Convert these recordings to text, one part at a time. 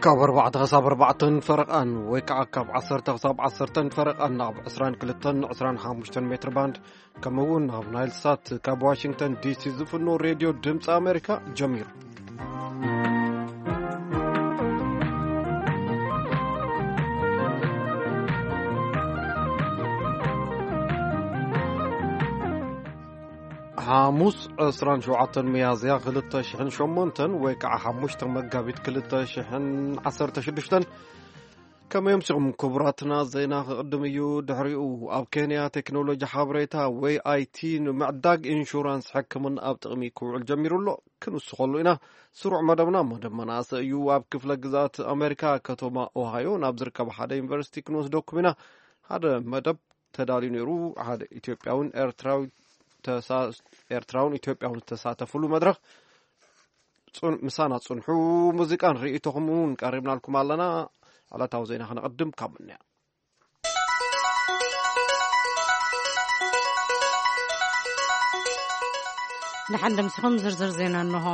ካብ ኣርባዕተ ክሳብ ኣርባዕተን ፈረቓን ወይ ከዓ ካብ ዓሰርተ ክሳብ ዓሰርተን ፈረቓን ኣብ ዕስራን ክልተን ዕስራን ሓሙሽተን ሜትር ባንድ፣ ከምኡ እውን ኣብ ናይል ሳት ካብ ዋሽንግተን ዲሲ ዝፍኖ ሬድዮ ድምፂ ኣሜሪካ ጀሚሩ። ሓሙስ ዕስራን ሸውዓተን ሚያዝያ ክልተ ሽሕን ሸሞንተን ወይ ከዓ ሓሙሽተ መጋቢት ክልተ ሽሕን ዓሰርተ ሽዱሽተን። ከመይ ኣምሲኹም ክቡራትና? ዜና ክቕድም እዩ። ድሕሪኡ ኣብ ኬንያ ቴክኖሎጂ ሓበሬታ ወይ ኣይ ቲ ንምዕዳግ ኢንሹራንስ ሕክምና ኣብ ጥቕሚ ክውዕል ጀሚሩ ኣሎ። ክንውስኸሉ ኢና። ስሩዕ መደብና መደብ መናእሰይ እዩ። ኣብ ክፍለ ግዛት ኣሜሪካ ከተማ ኦሃዮ ናብ ዝርከብ ሓደ ዩኒቨርሲቲ ክንወስደኩም ኢና። ሓደ መደብ ተዳልዩ ነይሩ። ሓደ ኢትዮጵያውን ኤርትራዊ ተሳ-፣ ኤርትራውን ኢትዮጵያውን ዝተሳተፍሉ መድረኽ። ጽን-፣ ምሳና ጽንሑ። ሙዚቃን ርእይቶኹም እውን ቀሪብናልኩም ኣለና። ዕለታዊ ዜና ክነቐድም ካብ ምንያ። ንሓንደ ምስኹም ዝርዝር ዜና እንሆ።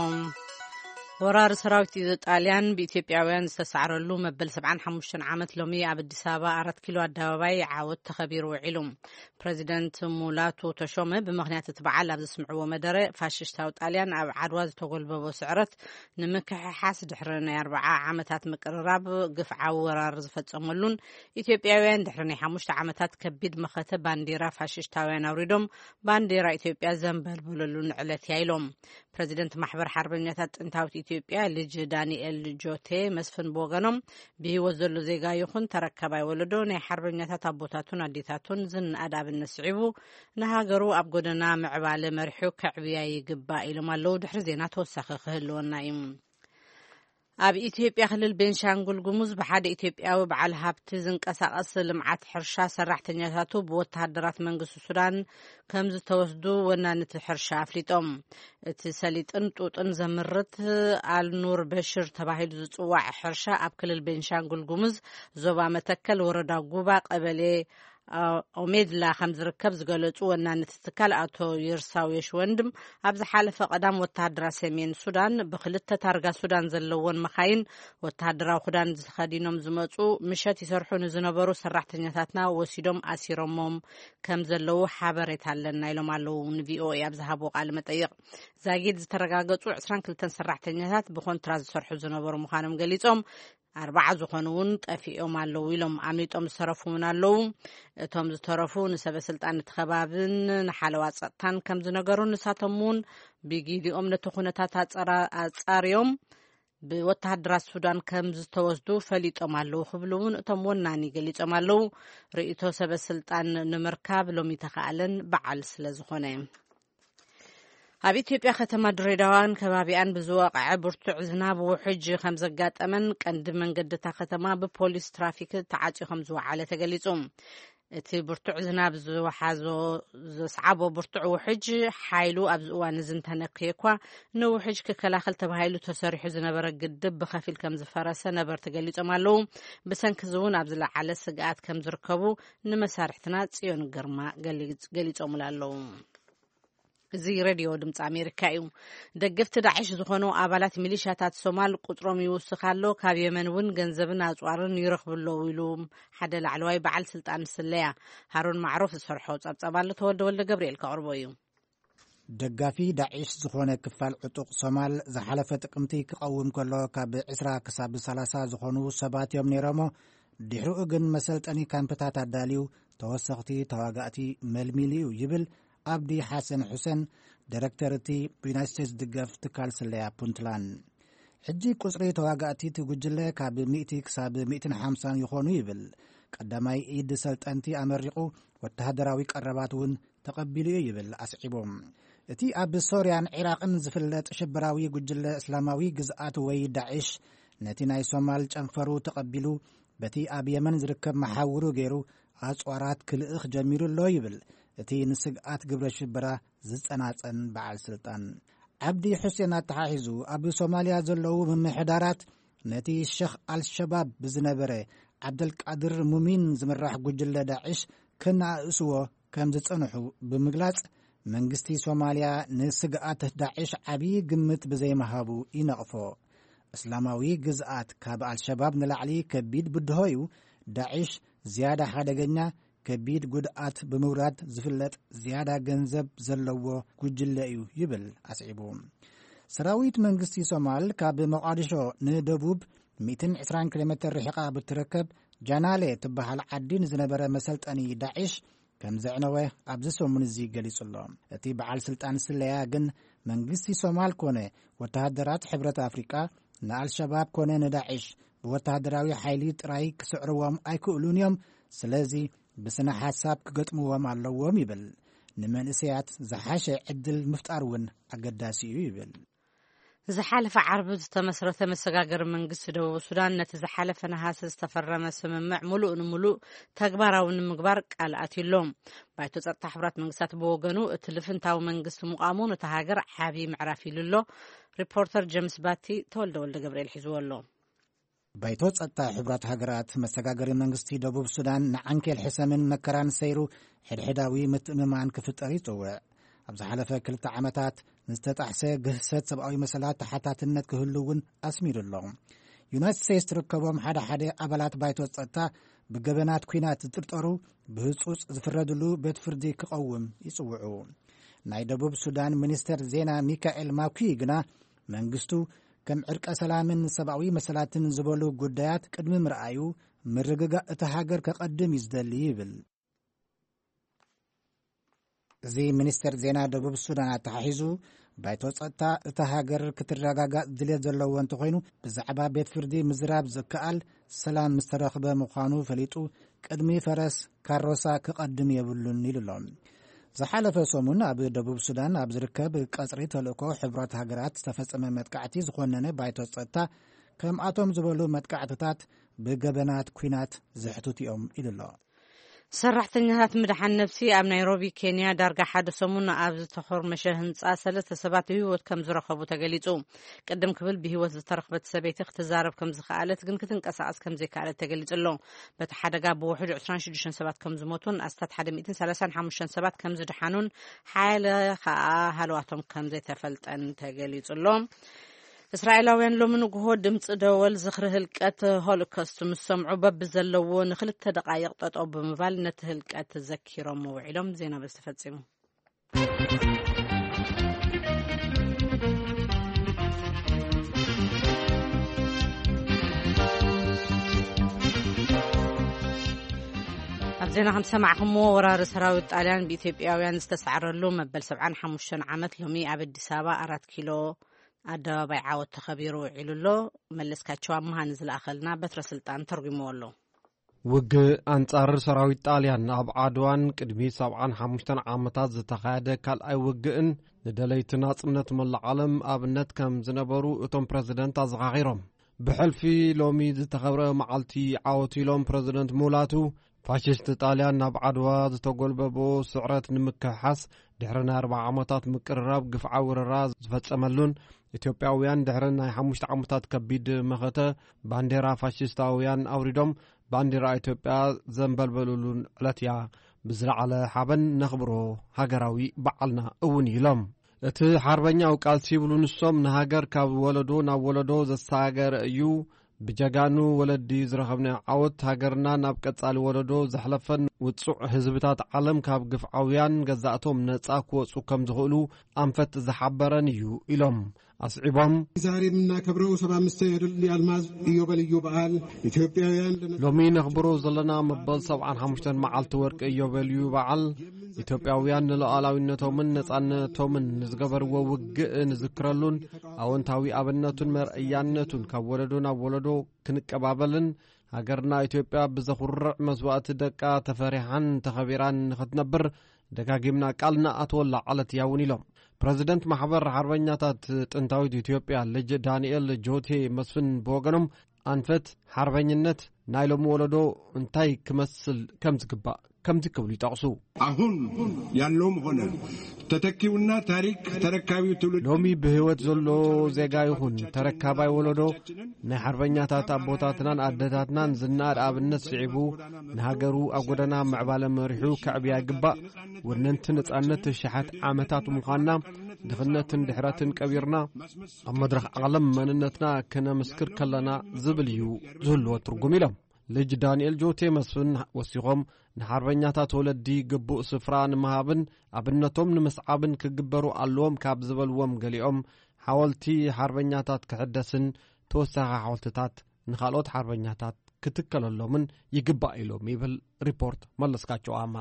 ወራሪ ሰራዊት ጣልያን ብኢትዮጵያውያን ዝተሳዕረሉ መበል ሰብዓን ሓሙሽተን ዓመት ሎሚ ኣብ ኣዲስ ኣበባ ኣራት ኪሎ ኣደባባይ ዓወት ተኸቢሩ ውዒሉ። ፕረዚደንት ሙላቱ ተሾመ ብምኽንያት እቲ በዓል ኣብ ዘስምዕዎ መደረ፣ ፋሽስታዊ ጣልያን ኣብ ዓድዋ ዝተጎልበቦ ስዕረት ንምክሕሓስ ድሕሪ ናይ ኣርብዓ ዓመታት ምቅርራብ ግፍዓዊ ወራር ዝፈጸመሉን ኢትዮጵያውያን ድሕሪ ናይ ሓሙሽተ ዓመታት ከቢድ መኸተ ባንዲራ ፋሽስታውያን ኣውሪዶም ባንዲራ ኢትዮጵያ ዘንበልበለሉን ዕለት እያ ኢሎም። ፕረዚደንት ማሕበር ሓርበኛታት ጥንታዊት ኢትዮጵያ ልጅ ዳንኤል ጆቴ መስፍን ብወገኖም፣ ብህይወት ዘሎ ዜጋ ይኹን ተረካባይ ወለዶ ናይ ሓርበኛታት ኣቦታቱን ኣዴታቱን ዝነኣድ ኣብነት ስዒቡ፣ ንሃገሩ ኣብ ጎደና ምዕባለ መሪሑ ከዕብያ ይግባእ ኢሎም ኣለዉ። ድሕሪ ዜና ተወሳኺ ክህልወና እዩ። ኣብ ኢትዮጵያ ክልል ቤንሻንጉል ጉሙዝ ብሓደ ኢትዮጵያዊ በዓል ሃብቲ ዝንቀሳቐስ ልምዓት ሕርሻ ሰራሕተኛታቱ ብወተሃደራት መንግስቲ ሱዳን ከም ዝተወስዱ ወናንቲ ሕርሻ ኣፍሊጦም። እቲ ሰሊጥን ጡጥን ዘምርት ኣልኑር በሽር ተባሂሉ ዝጽዋዕ ሕርሻ ኣብ ክልል ቤንሻንጉል ጉሙዝ ዞባ መተከል ወረዳ ጉባ ቀበሌ ኦሜድላ ከም ዝርከብ ዝገለጹ ወናኒ እቲ ትካል ኣቶ ይርሳው የሽወንድም፣ ኣብ ዝሓለፈ ቀዳም ወተሃደራት ሰሜን ሱዳን ብክልተ ታርጋ ሱዳን ዘለወን መኻይን ወተሃደራዊ ክዳን ዝኸዲኖም ዝመጹ ምሸት ይሰርሑ ንዝነበሩ ሰራሕተኛታትና ወሲዶም ኣሲሮሞም ከም ዘለዉ ሓበሬታ ኣለና ኢሎም ኣለዉ። ንቪኦኤ ኣብ ዝሃብዎ ቃለ መጠይቕ፣ ዛጊድ ዝተረጋገጹ ዕስራን ክልተን ሰራሕተኛታት ብኮንትራት ዝሰርሑ ዝነበሩ ምዃኖም ገሊጾም፣ ኣርባዓ ዝኾኑ እውን ጠፊኦም ኣለዉ ኢሎም። ኣምሊጦም ዝተረፉ እውን ኣለዉ። እቶም ዝተረፉ ንሰበ ስልጣን እቲ ከባብን ንሓለዋ ጸጥታን ከም ዝነገሩ፣ ንሳቶም እውን ብጊዲኦም ነቲ ኩነታት ኣጸራ-፣ ኣጻርዮም ብወተሃደራት ሱዳን ከም ዝተወስዱ ፈሊጦም ኣለዉ ክብሉ እውን እቶም ወናኒ ገሊጾም ኣለዉ። ርእይቶ ሰበ ስልጣን ንምርካብ ሎሚ ተኻኣለን በዓል ስለ ዝኾነ። ኣብ ኢትዮጵያ ከተማ ድሬዳዋን ከባቢኣን ብዝወቕዐ ብርቱዕ ዝናብ ውሕጅ ከም ዘጋጠመን ቀንዲ መንገዲ እታ ከተማ ብፖሊስ ትራፊክ ተዓጽዩ ከም ዝወዓለ ተገሊጹ። እቲ ብርቱዕ ዝናብ ዝወሓዞ፣ ዘስዓቦ ብርቱዕ ውሕጅ ሓይሉ ኣብዚ እዋን እዚ እንተነክየ እኳ፣ ንውሕጅ ክከላኸል ተባሂሉ ተሰሪሑ ዝነበረ ግድብ ብኸፊል ከም ዝፈረሰ ነበርቲ ገሊጾም ኣለዉ። ብሰንኪ እዚ እውን ኣብ ዝለዓለ ስግኣት ከም ዝርከቡ ንመሳርሕትና ጽዮን ግርማ ገሊጽ-፣ ገሊጾምላ ኣለዉ። እዚ ሬድዮ ድምፂ ኣሜሪካ እዩ። ደገፍቲ ዳዕሽ ዝኾኑ ኣባላት ሚሊሻታት ሶማል ቁፅሮም ይውስኽ ኣሎ፣ ካብ የመን እውን ገንዘብን ኣፅዋርን ይረኽቡ ኣለዉ ኢሉ ሓደ ላዕለዋይ በዓል ስልጣን ስለያ። ሃሩን ማዕሩፍ ዝሰርሖ ፀብፀብ ኣሎ፣ ተወልደ ወልደ ገብርኤል ከቕርቦ እዩ። ደጋፊ ዳዕሽ ዝኾነ ክፋል ዕጡቕ ሶማል ዝሓለፈ ጥቅምቲ ክቐውም ከሎ፣ ካብ ዕስራ ክሳብ ሰላሳ ዝኾኑ ሰባት እዮም ነይሮሞ። ድሕሪኡ ግን መሰልጠኒ ካምፕታት ኣዳልዩ፣ ተወሰኽቲ ተዋጋእቲ መልሚሉ እዩ ይብል ኣብዲ ሓሰን ሑሰን፣ ዳይረክተር እቲ ብዩናይትድ ስቴትስ ድገፍ ትካል ስለያ ፑንትላን። ሕጂ ቁጽሪ ተዋጋእቲ እቲ ጉጅለ ካብ ሚእቲ ክሳብ ሚእትን ሓምሳን ይኾኑ ይብል። ቀዳማይ ኢድ ሰልጠንቲ ኣመሪቑ፣ ወተሃደራዊ ቀረባት እውን ተቐቢሉ እዩ ይብል ኣስዒቦም። እቲ ኣብ ሶርያን ዒራቕን ዝፍለጥ ሽበራዊ ጉጅለ እስላማዊ ግዝኣት ወይ ዳዕሽ፣ ነቲ ናይ ሶማል ጨንፈሩ ተቐቢሉ፣ በቲ ኣብ የመን ዝርከብ መሓውሩ ገይሩ ኣጽዋራት ክልእኽ ጀሚሩ ኣሎ ይብል እቲ ንስግኣት ግብረ ሽበራ ዝጸናጸን በዓል ስልጣን። ዓብዲ ሑሴን ኣተሓሒዙ፣ ኣብ ሶማልያ ዘለዉ ምምሕዳራት ነቲ ሸኽ ኣልሸባብ ብዝነበረ ዓብደልቃድር ሙሚን ዝምራሕ ጉጅለ ዳዕሽ ከነኣእስዎ ከም ዝጸንሑ ብምግላጽ፣ መንግስቲ ሶማልያ ንስግኣት ዳዕሽ ዓብዪ ግምት ብዘይምሃቡ ይነቕፎ። እስላማዊ ግዝኣት ካብ ኣልሸባብ ንላዕሊ ከቢድ ብድሆ እዩ። ዳዕሽ ዝያዳ ሓደገኛ፣ ከቢድ ጉድኣት ብምውራድ ዝፍለጥ፣ ዝያዳ ገንዘብ ዘለዎ ጉጅለ እዩ ይብል ኣስዒቡ። ሰራዊት መንግስቲ ሶማል ካብ መቓዲሾ ንደቡብ ሚእትን ዕስራን ኪሎ ሜትር ርሒቓ ብትርከብ ጃናሌ ትበሃል ዓዲ ንዝነበረ መሰልጠኒ ዳዕሽ ከም ዘዕነወ ኣብዚ ሰሙን እዚ ገሊጹ ኣሎ። እቲ በዓል ስልጣን ስለያ ግን መንግስቲ ሶማል ኮነ ወተሃደራት ሕብረት ኣፍሪቃ ንኣልሸባብ ኮነ ንዳዕሽ ብወተሃደራዊ ሓይሊ ጥራይ ክስዕርዎም ኣይክእሉን እዮም። ስለዚ ብስነ ሓሳብ ክገጥምዎም ኣለዎም ይብል። ንመንእሰያት ዝሓሸ ዕድል ምፍጣር እውን ኣገዳሲ እዩ ይብል። ዝሓለፈ ዓርቢ ዝተመስረተ መሰጋገሪ መንግስቲ ደቡብ ሱዳን ነቲ ዝሓለፈ ነሃሰ ዝተፈረመ ስምምዕ ምሉእ ንምሉእ ተግባራዊ ንምግባር ቃል ኣትዩ ኣሎ። ባይቶ ጸጥታ ሕቡራት መንግስታት ብወገኑ እቲ ልፍንታዊ መንግስቲ ምቋሙ ነታ ሃገር ዓቢ ምዕራፍ ኢሉ ኣሎ። ሪፖርተር ጀምስ ባቲ ተወልደ ወልደ ገብርኤል ሒዝዎ ኣሎ። ባይቶ ጸጥታ ሕቡራት ሃገራት መሰጋገሪ መንግስቲ ደቡብ ሱዳን ንዓንኬል ሕሰምን መከራን ሰይሩ ሕድሕዳዊ ምትእምማን ክፍጠር ይጽውዕ። ኣብ ዝሓለፈ ክልተ ዓመታት ንዝተጣሕሰ ግህሰት ሰብኣዊ መሰላት ተሓታትነት ክህሉ እውን ኣስሚሩ ኣሎ። ዩናይትድ ስቴትስ ትርከቦም ሓደ ሓደ ኣባላት ባይቶ ጸጥታ ብገበናት ኲናት ዝጥርጠሩ ብህጹጽ ዝፍረድሉ ቤት ፍርዲ ክቐውም ይጽውዑ። ናይ ደቡብ ሱዳን ሚኒስተር ዜና ሚካኤል ማኩይ ግና መንግስቱ ከም ዕርቀ ሰላምን ሰብኣዊ መሰላትን ዝበሉ ጉዳያት ቅድሚ ምርኣዩ ምርግጋእ እታ ሃገር ከቐድም እዩ ዝደሊ ይብል። እዚ ሚኒስተር ዜና ደቡብ ሱዳን ኣተሓሒዙ ባይቶ ጸጥታ እታ ሃገር ክትረጋጋእ ድልየት ዘለዎ እንተኾይኑ ብዛዕባ ቤት ፍርዲ ምዝራብ ዝከኣል ሰላም ምስ ተረኽበ ምዃኑ ፈሊጡ ቅድሚ ፈረስ ካሮሳ ክቐድም የብሉን ኢሉ ኣሎ። ዝሓለፈ ሰሙን ኣብ ደቡብ ሱዳን ኣብ ዝርከብ ቀጽሪ ተልእኮ ሕብራት ሃገራት ዝተፈጸመ መጥቃዕቲ ዝኾነነ ባይቶ ጸጥታ ከምኣቶም ዝበሉ መጥቃዕትታት ብገበናት ኲናት ዘሕትቱ እዮም ኢሉ ኣሎ። ሰራሕተኛታት ምድሓን ነብሲ ኣብ ናይሮቢ ኬንያ ዳርጋ ሓደ ሰሙን ኣብ ዝተኾርመሸ ህንፃ ሰለስተ ሰባት ብህይወት ከም ዝረኸቡ ተገሊፁ። ቅድም ክብል ብህይወት ዝተረኽበት ሰበይቲ ክትዛረብ ከም ዝኸኣለት ግን ክትንቀሳቐስ ከም ዘይከኣለት ተገሊፁ ኣሎ። በቲ ሓደጋ ብውሕዱ ዕስራን ሽዱሽተን ሰባት ከም ዝሞቱን ኣስታት ሓደ ሚእትን ሰላሳን ሓሙሽተን ሰባት ከም ዝድሓኑን ሓያለ ከዓ ሃለዋቶም ከም ዘይተፈልጠን ተገሊፁ ኣሎ። እስራኤላውያን ሎሚ ንግሆ ድምፂ ደወል ዝኽሪ ህልቀት ሆሎኮስት ምስ ሰምዑ በብዘለዎ ንክልተ ደቃይቕ ጠጠው ብምባል ነቲ ህልቀት ዘኪሮም ውዒሎም። ዜና በዚ ተፈጺሙ። ኣብ ዜና ከም ዝሰማዕኹምዎ፣ ወራሪ ሰራዊት ጣልያን ብኢትዮጵያውያን ዝተሳዕረሉ መበል ሰብዓን ሓሙሽተን ዓመት ሎሚ ኣብ ኣዲስ ኣበባ ኣራት ኪሎ ኣደባባይ ዓወት ተኸቢሩ ውዒሉ ኣሎ። መለስካቸው ኣምሃ ንዝለኣኸልና በትረ ስልጣን ተርጉምዎ ኣሎ። ውግእ ኣንጻር ሰራዊት ጣልያን ኣብ ዓድዋን ቅድሚ ሰብዓን ሓሙሽተን ዓመታት ዝተኻየደ ካልኣይ ውግእን ንደለይቲ ናጽነት መላእ ዓለም ኣብነት ከም ዝነበሩ እቶም ፕረዚደንት ኣዘኻኺሮም። ብሕልፊ ሎሚ ዝተኸብረ መዓልቲ ዓወት ኢሎም ፕረዚደንት ሙላቱ፣ ፋሽስት ጣልያን ናብ ዓድዋ ዝተጎልበቦ ስዕረት ንምክሕሓስ ድሕሪ ናይ ኣርብዓ ዓመታት ምቅርራብ ግፍዓዊ ወረራ ዝፈጸመሉን ኢትዮጵያውያን ድሕሪ ናይ ሓሙሽተ ዓመታት ከቢድ መኸተ ባንዴራ ፋሽስታውያን ኣውሪዶም ባንዴራ ኢትዮጵያ ዘንበልበሉሉን ዕለት እያ። ብዝለዓለ ሓበን ነኽብሮ፣ ሃገራዊ በዓልና እውን እዩ ኢሎም። እቲ ሓርበኛዊ ቃልሲ ይብሉ ንሶም ንሃገር ካብ ወለዶ ናብ ወለዶ ዘሰጋገረ እዩ። ብጀጋኑ ወለዲ ዝረኸብናዮ ዓወት ሃገርና ናብ ቀጻሊ ወለዶ ዘሕለፈን ውጹዕ ህዝብታት ዓለም ካብ ግፍዓውያን ገዛእቶም ነጻ ክወጹ ከም ዝኽእሉ ኣንፈት ዝሓበረን እዩ ኢሎም። ኣስዒቦም፣ ዛሬ የምናከብረው ሰባ አምስተኛ የድል የአልማዝ ኢዮቤልዩ በዓል ኢትዮጵያውያን ለነ- ሎሚ ነኽብሮ ዘለና መበል ሰብዓን ሓሙሽተን መዓልቲ ወርቂ ኢዮቤልዩ በዓል ኢትዮጵያውያን ንሉዓላዊነቶምን ነጻነቶምን ንዝገበርዎ ውግእ ንዝክረሉን ኣወንታዊ ኣብነቱን መርኣያነቱን ካብ ወለዶ ናብ ወለዶ ክንቀባበልን ሃገርና ኢትዮጵያ ብዘኹርዕ መስዋእቲ ደቃ ተፈሪሓን ተኸቢራን ንኽትነብር ደጋጊምና ቃል ንኣትወላ ዕለት እያ እውን ኢሎም። ፕረዚደንት ማሕበር ሓርበኛታት ጥንታዊት ኢትዮጵያ ልጅ ዳንኤል ጆቴ መስፍን ብወገኖም ኣንፈት ሓርበኝነት ናይ ሎሚ ወለዶ እንታይ ክመስል ከም ዝግባእ ከምዚ ክብሉ ይጠቕሱ። አሁን ያለውም ሆነ ተተኪውና ታሪክ ተረካቢው ትውልድ ሎሚ ብህይወት ዘሎ ዜጋ ይኹን ተረካባይ ወለዶ ናይ ሓርበኛታት ኣቦታትናን ኣደታትናን ዝናድ ኣብነት ስዒቡ ንሃገሩ ኣብ ጎደና ምዕባለ መሪሑ ከዕብያ ይግባእ። ወነንቲ ነጻነት ተሽሓት ዓመታት ምዃንና ድኽነትን ድሕረትን ቀቢርና ኣብ መድረኽ ዓለም መንነትና ከነምስክር ከለና ዝብል እዩ ዝህልዎ ትርጉም ኢሎም። ልጅ ዳንኤል ጆቴ መስፍን ወሲኾም፣ ንሓርበኛታት ወለዲ ግቡእ ስፍራ ንምሃብን ኣብነቶም ንምስዓብን ክግበሩ ኣለዎም ካብ ዝበልዎም ገሊኦም፣ ሓወልቲ ሓርበኛታት ክሕደስን ተወሳኺ ሓወልትታት ንኻልኦት ሓርበኛታት ክትከለሎምን ይግባእ ኢሎም ይብል ሪፖርት መለስካቸው ኣማ።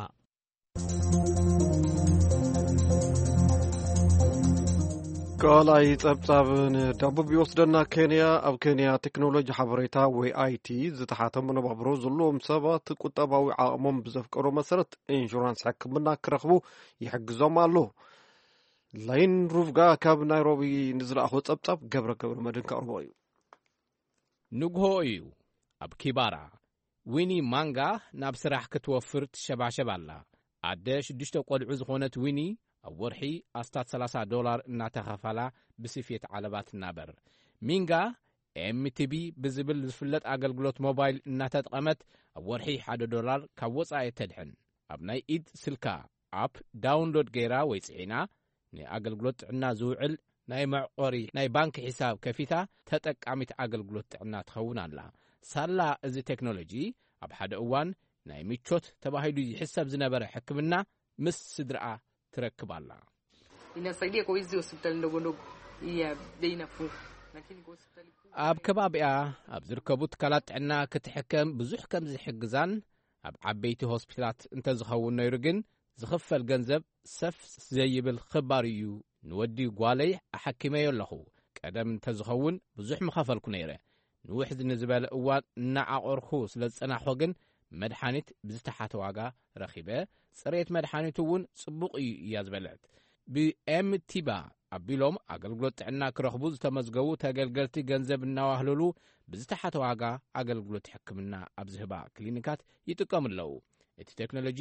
ካልኣይ ጸብጻብ ንደቡብ ይወስደና። ኬንያ፣ ኣብ ኬንያ ቴክኖሎጂ ሓበሬታ ወይ ኣይቲ ዝተሓተ መነባብሮ ዘለዎም ሰባት ቁጠባዊ ዓቕሞም ብዘፍቀዶ መሰረት ኢንሹራንስ ሕክምና ክረኽቡ ይሕግዞም ኣሎ። ላይን ሩቭጋ ካብ ናይሮቢ ንዝለኣኾ ጸብጻብ ገብረ ገብረ መድህን ከቕርቦ እዩ። ንግሆ እዩ። ኣብ ኪባራ፣ ዊኒ ማንጋ ናብ ስራሕ ክትወፍር ትሸባሸብ ኣላ። ኣደ ሽዱሽተ ቆልዑ ዝኾነት ዊኒ፣ ኣብ ወርሒ ኣስታት ሰላሳ ዶላር እናተኸፈላ ብስፌት ዓለባ ትናበር። ሚንጋ፣ ኤምቲቢ ብዝብል ዝፍለጥ ኣገልግሎት ሞባይል እናተጠቐመት፣ ኣብ ወርሒ ሓደ ዶላር ካብ ወጻኢ ተድሕን። ኣብ ናይ ኢድ ስልካ ኣፕ ዳውንሎድ ገይራ ወይ ጽዒና፣ ንኣገልግሎት ጥዕና ዝውዕል ናይ መዕቆሪ ናይ ባንክ ሒሳብ ከፊታ ተጠቃሚት ኣገልግሎት ጥዕና ትኸውን ኣላ። ሳላ እዚ ቴክኖሎጂ፣ ኣብ ሓደ እዋን ናይ ምቾት ተባሂሉ ይሕሰብ ዝነበረ ሕክምና ምስ ስድራኣ ትረክብ ኣላ። Inasaidia kwa hizi hospitali ndogo ndogo, hii ya bei nafuu. Lakini kwa hospitali kuu, ኣብ ከባቢኣ ኣብ ዝርከቡ ትካላት ጥዕና ክትሕከም ብዙሕ ከም ዝሕግዛን ኣብ ዓበይቲ ሆስፒታላት እንተዝኸውን ነይሩ ግን ዝኽፈል ገንዘብ ሰፍ ዘይብል ክባር እዩ። ንወዲ ጓለይ ኣሓኪመዮ ኣለኹ። ቀደም እንተዝኸውን ብዙሕ ምኸፈልኩ ነይረ። ንውሕ ንዝበለ እዋን እናዓቆርኩ ስለ ዝጸናሕኩ ግን መድሓኒት ብዝተሓተ ዋጋ ረኺበ። ጽሬት መድሓኒቱ እውን ጽቡቕ እዩ እያ ዝበለት። ብኤምቲባ ኣቢሎም ኣገልግሎት ጥዕና ክረኽቡ ዝተመዝገቡ ተገልገልቲ ገንዘብ እናዋህለሉ ብዝተሓተ ዋጋ ኣገልግሎት ሕክምና ኣብ ዝህባ ክሊኒካት ይጥቀሙ ኣለዉ። እቲ ቴክኖሎጂ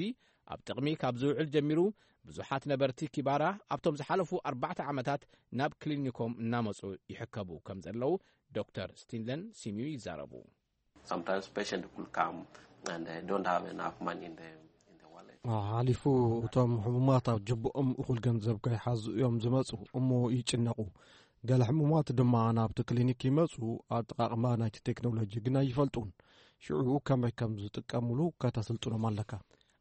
ኣብ ጥቕሚ ካብ ዝውዕል ጀሚሩ ብዙሓት ነበርቲ ኪባራ ኣብቶም ዝሓለፉ ኣርባዕተ ዓመታት ናብ ክሊኒኮም እናመጹ ይሕከቡ ከም ዘለዉ ዶክተር ስቲንለን ሲሚዩ ይዛረቡ። Sometimes patient will come and they don't have enough money in the, in the wallet. ሓሊፉ እቶም ሕሙማት ኣብ ጅብኦም እኹል ገንዘብ ከይሓዙ እዮም ዝመጹ፣ እሞ ይጭነቑ። ገለ ሕሙማት ድማ ናብቲ ክሊኒክ ይመጹ፣ ኣጠቓቕማ ናይቲ ቴክኖሎጂ ግን ኣይፈልጡን። ሽዑ ከመይ ከም ዝጥቀሙሉ ከተስልጥኖም ኣለካ።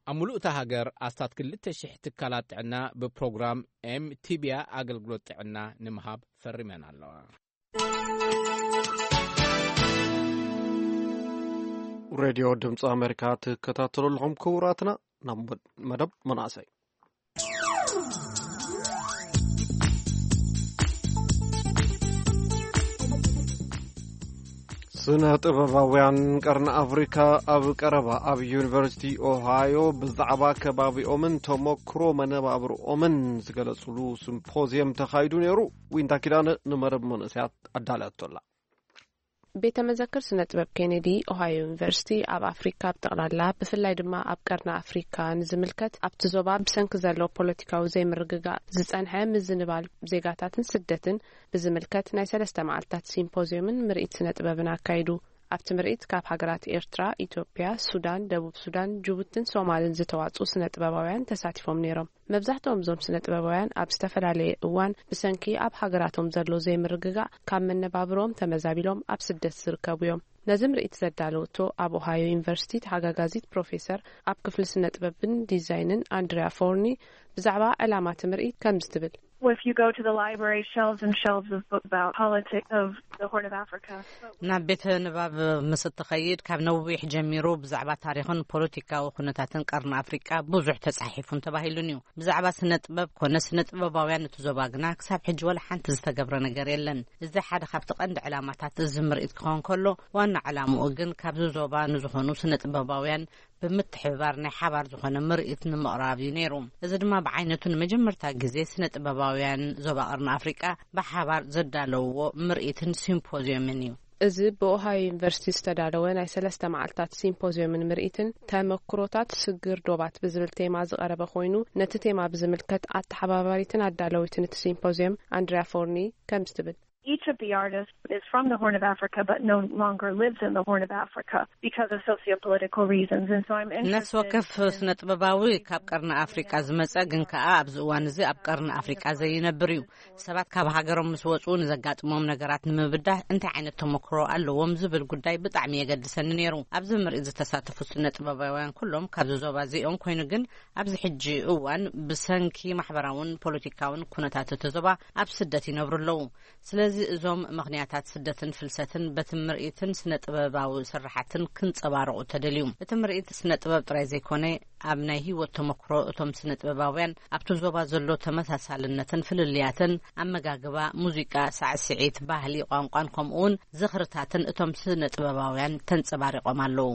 ኣብ ምሉእ እታ ሃገር ኣስታት ክልተ ሽሕ ትካላት ጥዕና ብፕሮግራም ኤምቲቢያ ኣገልግሎት ጥዕና ንምሃብ ፈሪመን ኣለዋ። ሬድዮ ድምፂ ኣሜሪካ ትከታተሉ ኣለኹም ክቡራትና። ናብ መደብ መናእሰይ። ስነ ጥበባውያን ቀርኒ ኣፍሪካ ኣብ ቀረባ ኣብ ዩኒቨርሲቲ ኦሃዮ ብዛዕባ ከባቢኦምን ተመክሮ መነባብርኦምን ዝገለጽሉ ሲምፖዝየም ተኻይዱ ነይሩ። ዊንታ ኪዳነ ንመረብ መንእሰያት ኣዳለያቶላ። ቤተ መዘክር ስነ ጥበብ ኬኔዲ ኦሃዮ ዩኒቨርሲቲ ኣብ ኣፍሪካ ብጠቕላላ ብፍላይ ድማ ኣብ ቀርኒ ኣፍሪካ ንዝምልከት ኣብቲ ዞባ ብሰንኪ ዘሎ ፖለቲካዊ ዘይምርግጋእ ዝጸንሐ ምዝንባል ዜጋታትን ስደትን ብዝምልከት ናይ ሰለስተ መዓልታት ሲምፖዝዮምን ምርኢት ስነ ጥበብን ኣካይዱ። ኣብቲ ምርኢት ካብ ሃገራት ኤርትራ፣ ኢትዮጵያ፣ ሱዳን፣ ደቡብ ሱዳን፣ ጅቡትን ሶማልን ዝተዋጽኡ ስነ ጥበባውያን ተሳቲፎም ነይሮም። መብዛሕትኦም እዞም ስነ ጥበባውያን ኣብ ዝተፈላለየ እዋን ብሰንኪ ኣብ ሃገራቶም ዘሎ ዘይምርግጋእ ካብ መነባብሮኦም ተመዛቢሎም ኣብ ስደት ዝርከቡ እዮም። ነዚ ምርኢት ዘዳለወቶ ኣብ ኦሃዮ ዩኒቨርሲቲ ተሓጋጋዚት ፕሮፌሰር ኣብ ክፍሊ ስነ ጥበብን ዲዛይንን ኣንድሪያ ፎርኒ ብዛዕባ ዕላማ እቲ ምርኢት ከምዚ ትብል። Well, if you go to the library, shelves and shelves of books about politics of the Horn of Africa. ናብ ቤተ ንባብ ምስ እትኸይድ ካብ ነዊሕ ጀሚሩ ብዛዕባ ታሪኽን ፖለቲካዊ ኩነታትን ቀርኒ ኣፍሪቃ ብዙሕ ተጻሒፉን ተባሂሉን እዩ። ብዛዕባ ስነ ጥበብ ኮነ ስነ ጥበባውያን እቲ ዞባ ግና ክሳብ ሕጂ ወላ ሓንቲ ዝተገብረ ነገር የለን። እዚ ሓደ ካብቲ ቀንዲ ዕላማታት እዚ ምርኢት ክኸውን ከሎ ዋና ዕላምኡ ግን ካብዚ ዞባ ንዝኾኑ ስነ ጥበባውያን ብምትሕብባር ናይ ሓባር ዝኾነ ምርኢት ንምቕራብ እዩ ነይሩ። እዚ ድማ ብዓይነቱ ንመጀመርታ ግዜ ስነ ጥበባውያን ዞባ ቀርኒ ኣፍሪቃ ብሓባር ዘዳለውዎ ምርኢትን ሲምፖዝዮምን እዩ። እዚ ብኦሃዮ ዩኒቨርሲቲ ዝተዳለወ ናይ ሰለስተ መዓልታት ሲምፖዝዮምን ምርኢትን ተመክሮታት ስግር ዶባት ብዝብል ቴማ ዝቐረበ ኮይኑ ነቲ ቴማ ብዝምልከት ኣተሓባባሪትን ኣዳለዊትን እቲ ሲምፖዝዮም ኣንድሪያ ፎርኒ ከምዚ ትብል። each of the artists is from the Horn of Africa but no longer lives in the Horn of Africa because of socio-political reasons. And so I'm interested ነፍሲ ወከፍ in ስነ ጥበባዊ ካብ ቀርኒ ኣፍሪቃ ዝመጸ ግን ከኣ ኣብዚ እዋን እዚ ኣብ ቀርኒ ኣፍሪቃ ዘይነብር እዩ። ሰባት ካብ ሃገሮም ምስ ወጹ ንዘጋጥሞም ነገራት ንምብዳህ እንታይ ዓይነት ተመክሮ ኣለዎም ዝብል ጉዳይ ብጣዕሚ የገድሰኒ ነይሩ። ኣብዚ ምርኢት ዝተሳተፉ ስነ ጥበባውያን ኩሎም ካብዚ ዞባ እዚኦም ኮይኑ ግን ኣብዚ ሕጂ እዋን ብሰንኪ ማሕበራውን ፖለቲካውን ኩነታት እቲ ዞባ ኣብ ስደት ይነብሩ ኣለዉ። ስለዚ እዞም ምኽንያታት ስደትን ፍልሰትን በቲ ምርኢትን ስነ ጥበባዊ ስርሓትን ክንጸባረቑ ተደልዩ። እቲ ምርኢት ስነ ጥበብ ጥራይ ዘይኮነ ኣብ ናይ ህይወት ተመክሮ እቶም ስነ ጥበባውያን ኣብቲ ዞባ ዘሎ ተመሳሳልነትን ፍልልያትን ኣመጋግባ፣ ሙዚቃ፣ ሳዕስዒት፣ ባህሊ፣ ቋንቋን ከምኡውን ዝኽርታትን እቶም ስነ ጥበባውያን ተንጸባሪቖም ኣለዉ።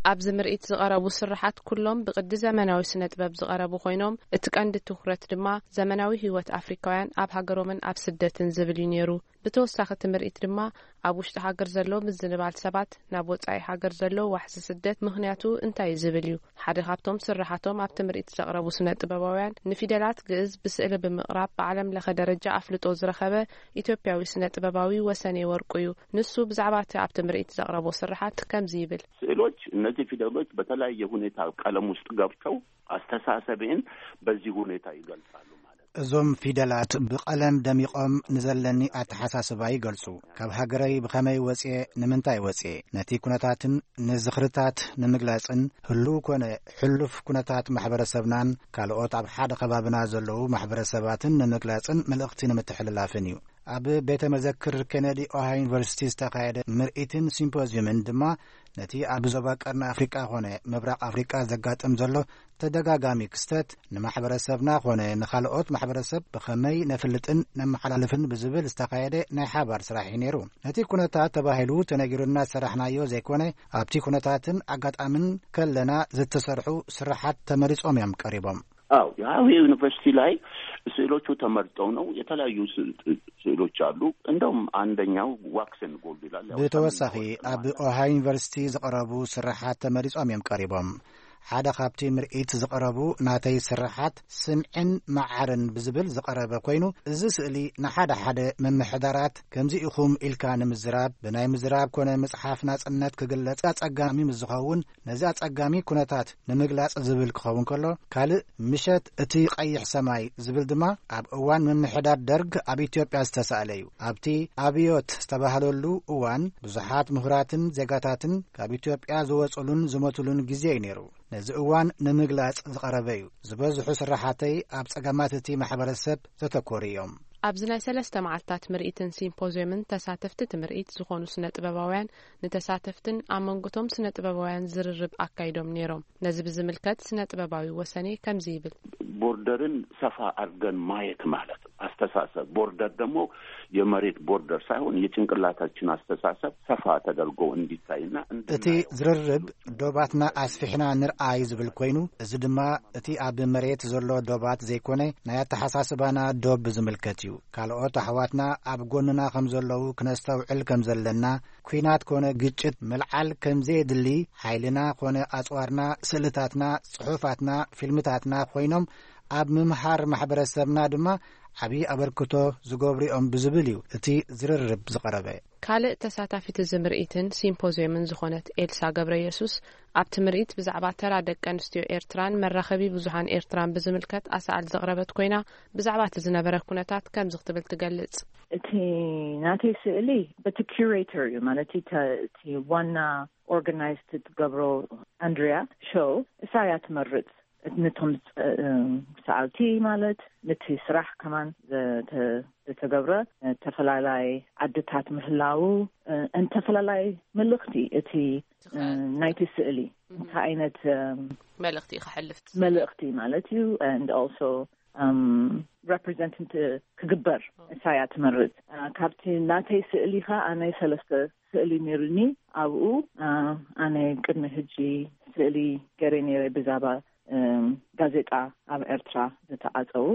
ኣብዚ ምርኢት ዝቐረቡ ስርሓት ኩሎም ብቕዲ ዘመናዊ ስነ ጥበብ ዝቐረቡ ኮይኖም እቲ ቀንዲ ትኹረት ድማ ዘመናዊ ህይወት ኣፍሪካውያን ኣብ ሃገሮምን ኣብ ስደትን ዝብል እዩ ነይሩ። ብተወሳኺ እቲ ምርኢት ድማ ኣብ ውሽጢ ሃገር ዘሎ ምዝንባል ሰባት ናብ ወጻኢ ሃገር ዘሎ ዋሕዚ ስደት ምኽንያቱ እንታይ እዩ ዝብል እዩ። ሓደ ካብቶም ስርሓቶም ኣብቲ ምርኢት ዘቕረቡ ስነ ጥበባውያን ንፊደላት ግእዝ ብስእሊ ብምቕራብ ብዓለም ለኸ ደረጃ ኣፍልጦ ዝረኸበ ኢትዮጵያዊ ስነ ጥበባዊ ወሰኔ ወርቁ እዩ። ንሱ ብዛዕባ እቲ ኣብቲ ምርኢት ዘቕረቦ ስርሓት ከምዚ ይብል። ስዕሎች፣ እነዚህ ፊደሎች በተለያየ ሁኔታ ቀለም ውስጥ ገብተው አስተሳሰቤን በዚህ ሁኔታ ይገልጻሉ ማለት ነው። እዞም ፊደላት ብቐለም ደሚቖም ንዘለኒ ኣተሓሳስባ ይገልጹ። ካብ ሃገረይ ብኸመይ ወጽየ፣ ንምንታይ ወጽየ፣ ነቲ ኩነታትን ንዝኽርታት ንምግላጽን ህሉው ኮነ ሕሉፍ ኩነታት ማሕበረሰብናን ካልኦት ኣብ ሓደ ከባብና ዘለዉ ማሕበረሰባትን ንምግላጽን መልእኽቲ ንምትሕልላፍን እዩ። ኣብ ቤተ መዘክር ኬነዲ ኦሃዮ ዩኒቨርሲቲ ዝተኻየደ ምርኢትን ሲምፖዚየምን ድማ ነቲ ኣብ ዞባ ቀርኒ ኣፍሪቃ ኾነ ምብራቕ ኣፍሪቃ ዘጋጥም ዘሎ ተደጋጋሚ ክስተት ንማሕበረሰብና ኾነ ንኻልኦት ማሕበረሰብ ብኸመይ ነፍልጥን ነመሓላልፍን ብዝብል ዝተኻየደ ናይ ሓባር ስራሕ እዩ ነይሩ። ነቲ ኩነታት ተባሂሉ ተነጊሩና ዝሰራሕናዮ ዘይኮነ ኣብቲ ኩነታትን ኣጋጣምን ከለና ዝተሰርሑ ስራሓት ተመሪጾም እዮም ቀሪቦም። አዎ፣ የሃዌ ዩኒቨርሲቲ ላይ ስዕሎቹ ተመርጠው ነው። የተለያዩ ስ- ስዕሎች አሉ። እንደውም አንደኛው ዋክስ ኤንድ ጎልድ ይላል። ያው ብተወሳኺ ሰማያዊ ወርቅ ኣብ ማለት ነው። ኦሃዮ ዩኒቨርሲቲ ዝቐረቡ ስርሓት ተመሪጾም እዮም ቀሪቦም። ሓደ ካብቲ ምርኢት ዝቐረቡ ናተይ ስርሓት ስምዕን መዓርን ብዝብል ዝቐረበ ኮይኑ፣ እዚ ስእሊ ንሓደ ሓደ ምምሕዳራት ከምዚ ኢኹም ኢልካ ንምዝራብ፣ ብናይ ምዝራብ ኮነ ምጽሓፍ ናጽነት ክግለጽ ኣጸጋሚ ምስ ዝኸውን፣ ነዚ ኣጸጋሚ ኩነታት ንምግላጽ ዝብል ክኸውን ከሎ፣ ካልእ ምሸት እቲ ቀይሕ ሰማይ ዝብል ድማ ኣብ እዋን ምምሕዳር ደርግ ኣብ ኢትዮጵያ ዝተሳእለ እዩ። ኣብቲ ኣብዮት ዝተባህለሉ እዋን ብዙሓት ምሁራትን ዜጋታትን ካብ ኢትዮጵያ ዝወጹሉን ዝሞቱሉን ግዜ እዩ ነይሩ። ነዚ እዋን ንምግላጽ ዝቐረበ እዩ። ዝበዝሑ ስራሓተይ ኣብ ጸገማት እቲ ማሕበረሰብ ዘተኮሩ እዮም። ኣብዚ ናይ ሰለስተ መዓልታት ምርኢትን ሲምፖዚየምን ተሳተፍቲ እቲ ምርኢት ዝኾኑ ስነ ጥበባውያን ንተሳተፍትን ኣብ መንጎቶም ስነ ጥበባውያን ዝርርብ ኣካይዶም ነይሮም። ነዚ ብዝምልከት ስነ ጥበባዊ ወሰኔ ከምዚ ይብል። ቦርደርን ሰፋ አድርገን ማየት ማለት ነው። አስተሳሰብ ቦርደር ደግሞ የመሬት ቦርደር ሳይሆን የጭንቅላታችን አስተሳሰብ ሰፋ ተደርጎ እንዲታይና እቲ እንድናየው ዝርርብ ዶባትና ኣስፊሕና ንርኣይ ዝብል ኮይኑ፣ እዚ ድማ እቲ ኣብ መሬት ዘሎ ዶባት ዘይኮነ ናይ ኣተሓሳስባና ዶብ ዝምልከት እዩ። ካልኦት ኣሕዋትና ኣብ ጎንና ከም ዘለዉ ክነስተውዕል ከም ዘለና፣ ኲናት ኮነ ግጭት ምልዓል ከም ዘየድሊ፣ ሓይልና ኮነ ኣጽዋርና፣ ስእልታትና፣ ጽሑፋትና፣ ፊልምታትና ኮይኖም ኣብ ምምሃር ማሕበረሰብና ድማ ዓብዪ ኣበርክቶ ዝገብሩ እዮም ብዝብል እዩ እቲ ዝርርብ ዝቐረበ። ካልእ ተሳታፊት እዚ ምርኢትን ሲምፖዚየምን ዝኾነት ኤልሳ ገብረ የሱስ ኣብቲ ምርኢት ብዛዕባ ተራ ደቂ ኣንስትዮ ኤርትራን መራኸቢ ብዙሃን ኤርትራን ብዝምልከት ኣሳእል ዘቕረበት ኮይና፣ ብዛዕባ እቲ ዝነበረ ኩነታት ከምዚ ክትብል ትገልጽ። እቲ ናተይ ስእሊ በቲ ኪሬተር እዩ፣ ማለት እቲ ተ- እቲ ዋና ኦርጋናይዝ ትገብሮ ኣንድሪያ ሾው እሳ እያ ትመርጽ። ነቶም ጸ- ሰዓልቲ ማለት ነቲ ስራሕ ከማን ዘተ- ዝተገብረ ተፈላላይ ዓድታት ምህላው እንተፈላላይ መልእኽቲ እቲ ናይቲ ስእሊ እንታይ ዓይነት መልእኽቲ እዩ ከሕልፍ? መልእኽቲ ማለት እዩ። And also represent ክግበር እሳያ ትመርጽ። ካብቲ ናተይ ስእሊ ኸ ኣነ ሰለስተ ስእሊ ነይሩኒ። ኣብኡ ኣነ ቅድሚ ሕጂ ስእሊ ገይረ ነይረ ብዛባ ጋዜጣ ኣብ ኤርትራ ዝተዓጸዉ።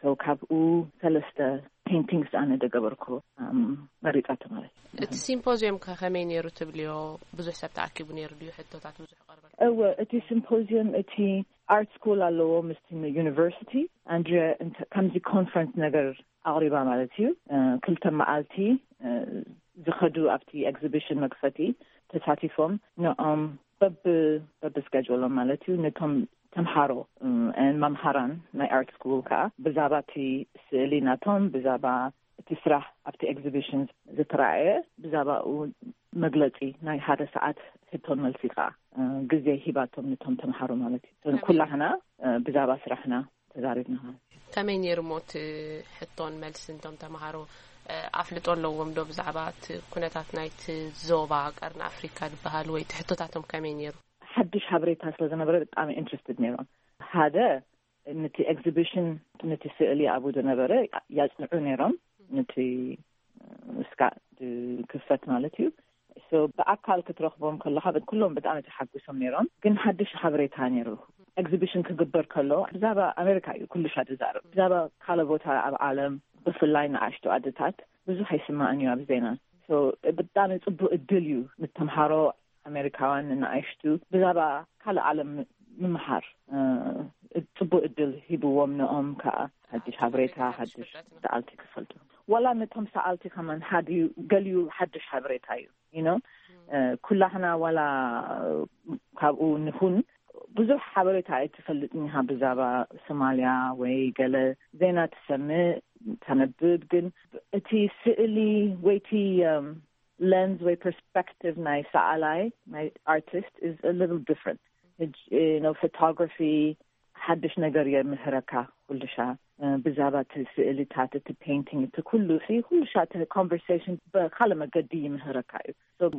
So ካብኡ ሰለስተ ፔንቲንግስ ኣነ ደገበርኩ መሪጻቶ ማለት እዩ። እቲ ሲምፖዚየም ከ ከመይ ነይሩ ትብልዮ? ብዙሕ ሰብ ተኣኪቡ ነይሩ ድዩ? ሕቶታት ብዙሕ ቀርበል? እወ፣ እቲ ሲምፖዚየም እቲ ኣርት ስኩል ኣለዎ ምስቲ ዩኒቨርሲቲ። ኣንድሪያ እንተ- ከምዚ ኮንፈረንስ ነገር ኣቕሪባ ማለት እዩ። ክልተ መዓልቲ ዝኸዱ ኣብቲ ኤግዚቢሽን መክፈቲ ተሳቲፎም ንኦም በብ በብ ስኬጁሎም ማለት እዩ። ነቶም ተምሃሮ መምሃራን ናይ ኣርት ስኩል ከዓ ብዛዕባ እቲ ስእሊ ናቶም፣ ብዛዕባ እቲ ስራሕ ኣብቲ ኤግዚቢሽን ዝተረኣየ፣ ብዛዕባኡ መግለፂ ናይ ሓደ ሰዓት ሕቶን መልሲ ከዓ ግዜ ሂባቶም ነቶም ተምሃሮ ማለት እዩ። ኩላህና ብዛዕባ ስራሕና ተዛሪብና ማለት እዩ። ከመይ ነይሩ እሞ እቲ ሕቶን መልስን? እቶም ተምሃሮ ኣፍልጦ ኣለዎም ዶ ብዛዕባ እቲ ኩነታት ናይቲ ዞባ ቀርኒ ኣፍሪካ ዝበሃል ወይ እቲ ሕቶታቶም ከመይ ነይሩ? ሓድሽ ሓበሬታ ስለ ዝነበረ ብጣዕሚ ኢንትረስትድ ነይሮም። ሓደ ነቲ ኤግዚቢሽን፣ ነቲ ስእሊ ኣብኡ ዝነበረ ያጽንዑ ነይሮም። ነቲ እስካ ክፈት ማለት እዩ። ብኣካል ክትረኽቦም ከለካ ኩሎም ብጣዕሚ ተሓጉሶም ነይሮም። ግን ሓድሽ ሓበሬታ ነይሩ። ኤግዚቢሽን ክግበር ከሎ ብዛዕባ ኣሜሪካ እዩ ኩሉ ሻ ዝዛረብ። ብዛዕባ ካልእ ቦታ ኣብ ዓለም ብፍላይ ንኣሽቱ ኣድታት ብዙሕ ኣይስማዕን እዩ ኣብ ዜና። ብጣዕሚ ፅቡቅ እድል እዩ ንተምሃሮ ኣሜሪካውያን ንኣሽቱ ብዛዕባ ካልእ ዓለም ምምሃር። ፅቡቅ እድል ሂብዎም ንኦም ከዓ ሓድሽ ሓበሬታ ሓድሽ ሰኣልቲ ክፈልጡ። ዋላ ነቶም ሰኣልቲ ከማን ሓድዩ ገሊዩ ሓድሽ ሓበሬታ እዩ። You know ኩላህና ዋላ ካብኡ ንኹን ብዙሕ ሓበሬታ ኣይትፈልጥን ኢኻ ብዛዕባ ሶማልያ ወይ ገለ ዜና ትሰምዕ ተነብብ። ግን እቲ ስእሊ ወይ እቲ ለንስ ወይ ፐርስፐክቲቭ ናይ ሰኣላይ ናይ ኣርቲስት is a little different። ሕጂ ፎቶግራፊ ሓድሽ ነገር የምህረካ ኩልሻ። ብዛዕባ እቲ ስእልታት እቲ ፔይንቲንግ እቲ ኩሉ ሲ ኩልሻ እቲ ኮንቨርሴሽን ብካልእ መገዲ ይምህረካ እዩ።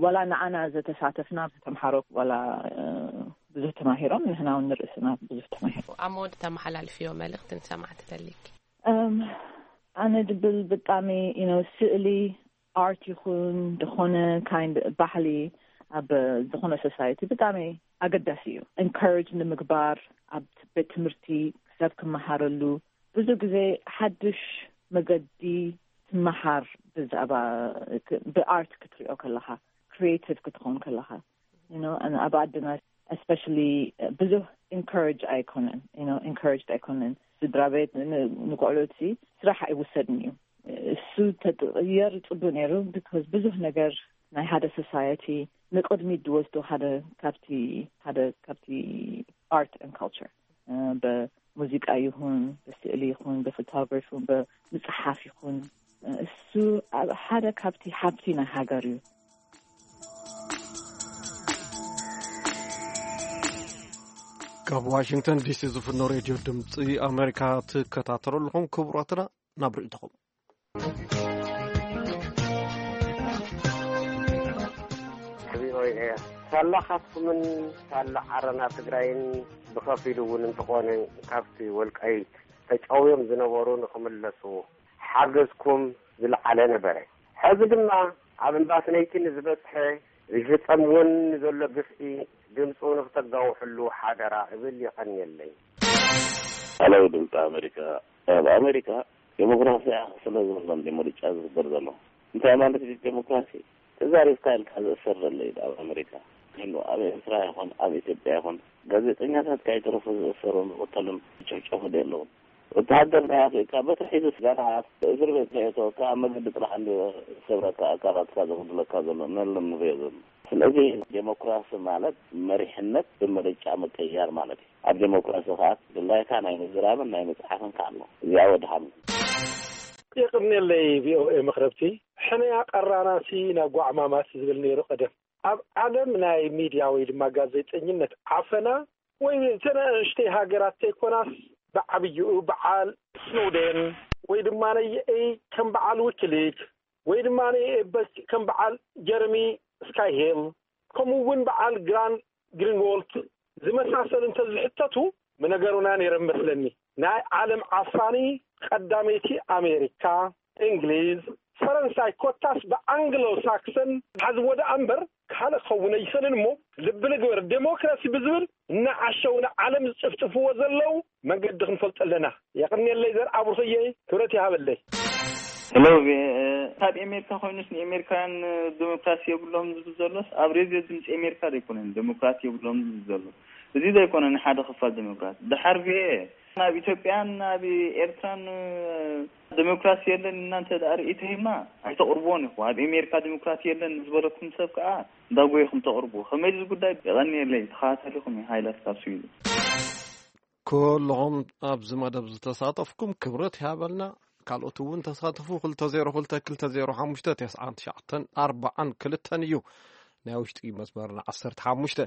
ዋላ ንዓና ዘተሳተፍና ተምሃሮ ዋላ ብዙሕ ተማሂሮም ንሕና እውን ንርእስና ብዙሕ ተማሂሮ። ኣብ መወዳእታ ተመሓላልፍዮ መልእክቲ ንሰማዕቲ ተሊክ? ኣነ ድብል ብጣዕሚ ስእሊ ኣርት ይኹን ዝኾነ ካይንድ ባህሊ ኣብ ዝኾነ ሶሳይቲ ብጣዕሚ ኣገዳሲ እዩ። ኢንካሬጅ ንምግባር ኣብ ቤት ትምህርቲ ሰብ ክመሃረሉ ብዙ ግዜ ሓድሽ መገዲ ትመሃር ብዛዕባ ብኣርት ክትሪኦ ከለኻ ክሪኤቲቭ ክትኸውን ከለኻ ኣብ ኣድና ስፔሻሊ ብዙሕ ኢንካሬጅ ኣይኮነን። ኢንካሬጅ ኣይኮነን። ስድራ ቤት ንቆልዑት ስራሕ ኣይውሰድን እዩ። እሱ ተጥቅየር ፅቡቅ ነይሩ። ቢካዝ ብዙሕ ነገር ናይ ሓደ ሶሳይቲ ንቅድሚት ዝወስዶ ሓደ ካብቲ ሓደ ካብቲ ኣርት ን ካልቸር ብሙዚቃ ይኹን ብስእሊ ይኹን ብፎቶግራፊ ይኹን ብምፅሓፍ ይኹን እሱ ሓደ ካብቲ ሃብቲ ናይ ሃገር እዩ። ካብ ዋሽንግተን ዲሲ ዝፍኖ ሬድዮ ድምፂ ኣሜሪካ ትከታተሉ ኣለኹም። ክቡራትና ናብ ርእይቶኹም። ሳላ ካትኩምን ሳላ ዓረና ትግራይን ብኸፊሉ እውን እንተኾነ ካብቲ ወልቃይት ተጨውዮም ዝነበሩ ንኽምለሱ ሓገዝኩም ዝለዓለ ነበረ። ሕዚ ድማ ኣብ እምባስነይቲ ንዝበፅሐ ዝፍፀም እውን ንዘሎ ግፍዒ ድምፁ ንክተጋውሕሉ ሓደራ እብል። የቐንየለይ። ኣለው ድምፂ ኣሜሪካ። ኣብ ኣሜሪካ ዴሞክራሲ ስለ ዘሎ ምርጫ ዝግበር ዘሎ እንታይ ማለት እዩ? ዴሞክራሲ ተዛሪብካ ኢልካ ዝእሰር ዘሎ እዩ ኣብ ኣሜሪካ። ግን ኣብ ኤርትራ ይኹን ኣብ ኢትዮጵያ ይኹን ጋዜጠኛታት ካይተረፉ ዝእሰሩን ዝቕተሉን ዝጭፍጨፉ ዶ ኣለውን? ወተሃደር ናይ ኣፍሪካ በትሪ ሒዙ ገና እስር ቤት ከየእተወካ ኣብ መገዲ ጥራሕ እንዲ ሰብረካ ኣካላትካ ዘጉድለካ ዘሎ ነሎ ንሪኦ ዘሎ። ስለዚ ዴሞክራሲ ማለት መሪሕነት ብምርጫ ምቅያር ማለት እዩ። ኣብ ዴሞክራሲ ከዓ ድላይካ ናይ ምዝራብን ናይ ምፅሓፍን ከዓ ኣሎ። እዚኣ ወድሓን። የቕንየለይ ቪኦኤ መኽረብቲ። ሕነያ ቀራናሲ ናብ ጓዕማማት ዝብል ነይሩ ቀደም። ኣብ ዓለም ናይ ሚድያ ወይ ድማ ጋዜጠኝነት ዓፈና ወይ እተን ኣንሽተይ ሃገራት ተይኮናስ ብዓብይኡ በዓል ስኖደን ወይ ድማ ነየኤይ ከም በዓል ዊኪሊክ ወይ ድማ ነየኤበክ ከም በዓል ጀረሚ ስካይሄል ከምኡ እውን በዓል ግራን ግሪንዎልት ዝመሳሰሉ እንተዝሕተቱ ምነገሩና ነይረ መስለኒ። ናይ ዓለም ዓፋኒ ቀዳመይቲ ኣሜሪካ፣ እንግሊዝ፣ ፈረንሳይ ኮታስ ብኣንግሎ ሳክሰን ሓዝዎ ደኣ እምበር ካልእ ክኸውን ኣይኽእልን እሞ ልቢ ንግበር። ዴሞክራሲ ብዝብል እናዓሸው ንዓለም ዝጭፍጭፍዎ ዘለዉ መንገዲ ክንፈልጦ ኣለና። የቕንየለይ ዘርኣ ብሩኽየይ፣ ክብረት ይሃበለይ። ሄሎ ቪኦኤ፣ ካብ ኤሜሪካ ኮይኑስ ንኤሜሪካውያን ዴሞክራሲ የብሎም ዝብል ዘሎስ ኣብ ሬድዮ ድምፂ ኤሜሪካ ዘይኮነን ዴሞክራሲ የብሎም ዝብል ዘሎ? እዚ ዘይኮነ ንሓደ ክፋል ዴሞክራሲ ድሓር ብኤ ናብ ኢትዮጵያን ናብ ኤርትራን ዴሞክራሲ የለን እናንተ ደኣ ርእይቶ ሂብና ኣይተቕርብዎን ኢኹ። ኣብ ኣሜሪካ ዴሞክራሲ የለን ዝበለኩም ሰብ ከዓ እንዳጎየኹም ተቕርቡ። ከመይ እዚ ጉዳይ የቐንየለይ። ተኸታተሊኹም እዩ። ሃይላት ካብ ስዊድን። ኩልኹም ኣብዚ መደብ ዝተሳተፍኩም ክብረት ይሃበልና። ካልኦት እውን ተሳተፉ። ክልተ ዜሮ ክልተ ክልተ ዜሮ ሓሙሽተ ተስዓን ትሽዓተን ኣርባዓን ክልተን እዩ ናይ ውሽጢ መስመርና ዓሰርተ ሓሙሽተ።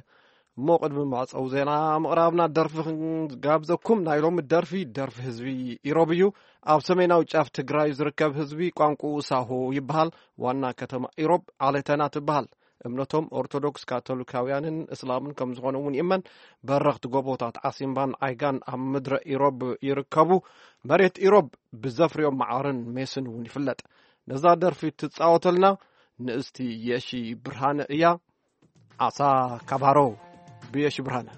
እሞ ቅድሚ መዕፀዊ ዜና ምቕራብና ደርፊ ክንጋብዘኩም። ናይ ሎሚ ደርፊ ደርፊ ህዝቢ ኢሮብ እዩ። ኣብ ሰሜናዊ ጫፍ ትግራይ ዝርከብ ህዝቢ ቋንቋኡ ሳሆ ይበሃል። ዋና ከተማ ኢሮብ ዓሌተና ትበሃል። እምነቶም ኦርቶዶክስ ካቶሊካውያንን እስላምን ከም ዝኾነ እውን ይእመን። በረኽቲ ጎቦታት ዓሲምባን ዓይጋን ኣብ ምድረ ኢሮብ ይርከቡ። መሬት ኢሮብ ብዘፍርዮም መዓርን ሜስን እውን ይፍለጥ። ነዛ ደርፊ ትጻወተልና ንእስቲ የሺ ብርሃነ እያ። ዓሳ ካባሮ ብየሺ ብርሃነ።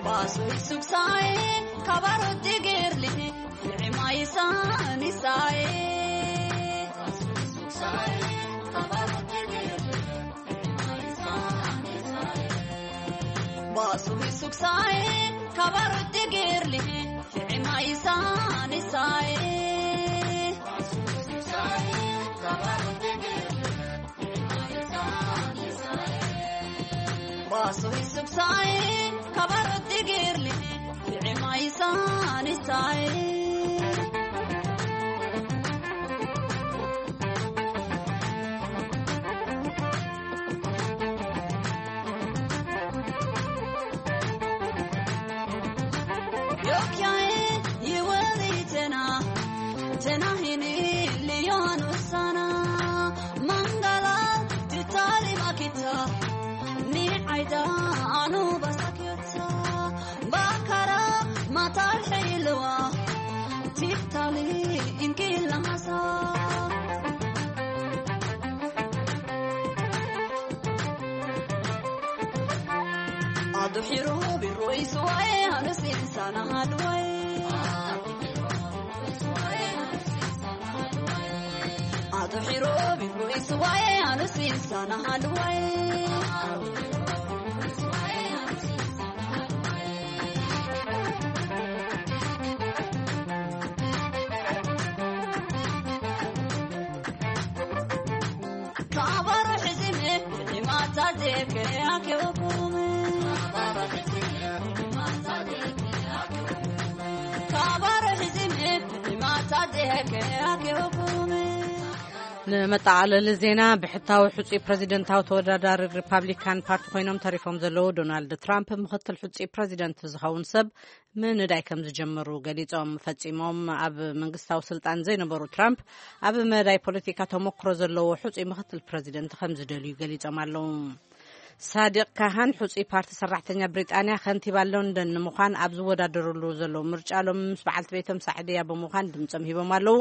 ባሶይ ሱክሳይ ካባሮ ዲግርሊ ንዕማይ ሳኒሳይ ባሶይ ሱክሳይ ካባሮ ዲግርሊ ንዕማይ ሳኒሳይ ባሶይ ሱክሳይ ካባሮ ዲግርሊ ንዕማይ ሳኒሳይ ዮክያይ ይወሊተና ተናሂኒ ሊዮን ውሳና ማንጋላ ትታሊ ማኪታ ኒዓይዳ ኣኑ ባሳኪዮታ ባካራ ማታል ሒልዋ ቲፍታሊ ኢንኪላ ማሳ ኣዱሒሩ ቢሮ ይስዋኤ ኣነስ ኢንሳና ሃድዋይ ኣዱሒሩ ቢሮ ይስዋኤ ኣነስ ኢንሳና ሃድዋይ ካባሮ ሕዚመ ሪማታ ዴከ ኣኬወኩም ካባሮ ሕዚመ ሪማታ ዴከ ኣኬወኩም ንመጠቓለሊ ዜና፣ ብሕታዊ ሕጹይ ፕረዚደንታዊ ተወዳዳሪ ሪፓብሊካን ፓርቲ ኮይኖም ተሪፎም ዘለዉ ዶናልድ ትራምፕ ምኽትል ሕጹይ ፕረዚደንት ዝኸውን ሰብ ምንዳይ ከም ዝጀመሩ ገሊጾም። ፈጺሞም ኣብ መንግስታዊ ስልጣን ዘይነበሩ ትራምፕ ኣብ መዳይ ፖለቲካ ተሞክሮ ዘለዎ ሕጹይ ምኽትል ፕረዚደንት ከም ዝደልዩ ገሊጾም ኣለዉ። ሳዲቅ ካሃን ሕጹይ ፓርቲ ሰራሕተኛ ብሪጣንያ ከንቲባ ሎንደን ንምዃን ኣብ ዝወዳደሩሉ ዘለዉ ምርጫ ሎም ምስ በዓልቲ ቤቶም ሳዕድያ ብምዃን ድምጾም ሂቦም ኣለዉ።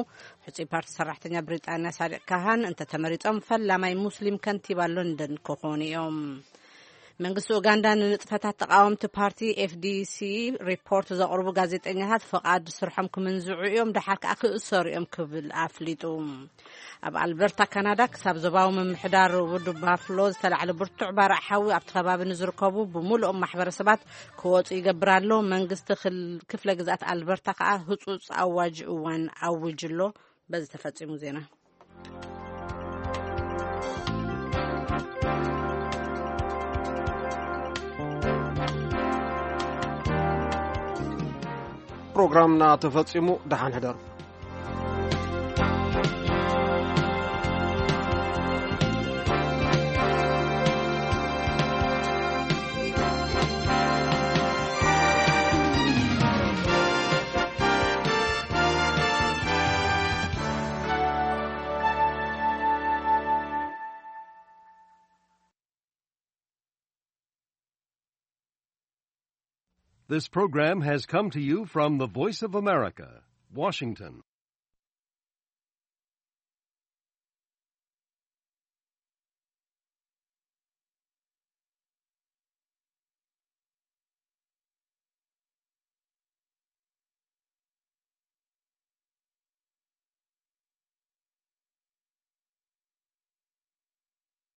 ሕጹይ ፓርቲ ሰራሕተኛ ብሪጣንያ ሳዲቅ ካሃን እንተተመሪጾም ፈላማይ ሙስሊም ከንቲባ ሎንደን ክኾኑ እዮም። መንግስቲ ኡጋንዳ ንንጥፈታት ተቃወምቲ ፓርቲ ኤፍዲሲ ሪፖርት ዘቕርቡ ጋዜጠኛታት ፍቓድ ስርሖም ክምንዝዑ እዮም፣ ደሓር ከኣ ክእሰሩ እዮም ክብል ኣፍሊጡ። ኣብ ኣልበርታ ካናዳ ክሳብ ዞባዊ ምምሕዳር ውድብ ባፍሎ ዝተላዕለ ብርቱዕ ባርዕ ሓዊ ኣብቲ ከባቢ ንዝርከቡ ብምሉኦም ማሕበረሰባት ክወፁ ይገብር ኣሎ። መንግስቲ ክል- ክፍለ ግዝኣት ኣልበርታ ከኣ ህፁፅ ኣዋጅ እዋን ኣውጅ ኣሎ። በዚ ተፈፂሙ ዜና። ፕሮግራምና ተፈጺሙ። ደሓን ሕደሩ። This program has come to you from the Voice of America, Washington.